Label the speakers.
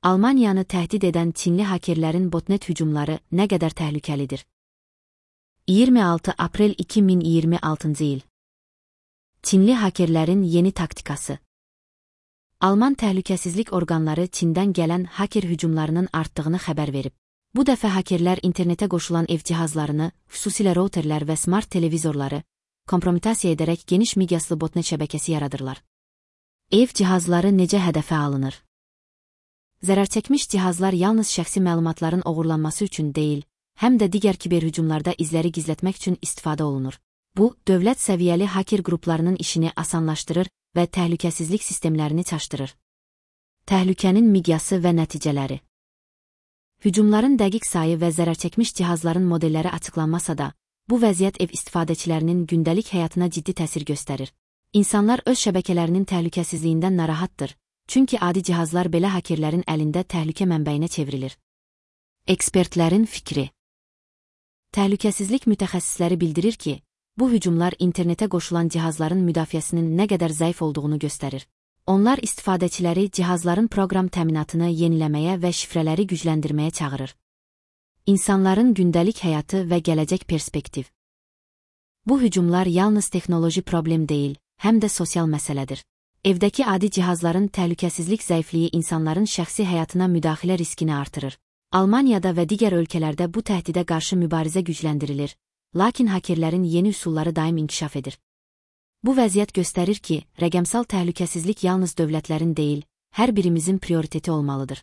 Speaker 1: Almaniyanı təhdid edən Çinli hakerlərin botnet hücumları nə qədər təhlükəlidir? 26 aprel 2026-cı il. Çinli hakerlərin yeni taktikası. Alman təhlükəsizlik orqanları Çindən gələn haker hücumlarının artdığını xəbər verib. Bu dəfə hakerlər internetə qoşulan ev cihazlarını, xüsusilə routerlər və smart televizorları, kompromitasiya edərək geniş miqyaslı botnet şəbəkəsi yaradırlar. Ev cihazları necə hədəfə alınır? Zərərçəkmiş cihazlar yalnız şəxsi məlumatların oğurlanması üçün deyil, həm də digər kiber hücumlarda izləri gizlətmək üçün istifadə olunur. Bu, dövlət səviyyəli haker qruplarının işini asanlaşdırır və təhlükəsizlik sistemlərini çaşdırır. Təhlükənin miqyası və nəticələri. Hücumların dəqiq sayı və zərərçəkmiş cihazların modelləri açıqlanmasa da, bu vəziyyət ev istifadəçilərinin gündəlik həyatına ciddi təsir göstərir. İnsanlar öz şəbəkələrinin təhlükəsizliyindən narahatdır, çünki adi cihazlar belə hakerlərin əlində təhlükə mənbəyinə çevrilir. Ekspertlərin fikri. Təhlükəsizlik mütəxəssisləri bildirir ki, bu hücumlar internetə qoşulan cihazların müdafiəsinin nə qədər zəif olduğunu göstərir. Onlar istifadəçiləri cihazların proqram təminatını yeniləməyə və şifrələri gücləndirməyə çağırır. İnsanların gündəlik həyatı və gələcək perspektiv. Bu hücumlar yalnız texnoloji problem deyil, həm də sosial məsələdir. Evdəki adi cihazların təhlükəsizlik zəifliyi insanların şəxsi həyatına müdaxilə riskini artırır. Almaniyada və digər ölkələrdə bu təhdidə qarşı mübarizə gücləndirilir, lakin hakerlərin yeni üsulları daim inkişaf edir. Bu vəziyyət göstərir ki, rəqəmsal təhlükəsizlik yalnız dövlətlərin deyil, hər birimizin prioriteti olmalıdır.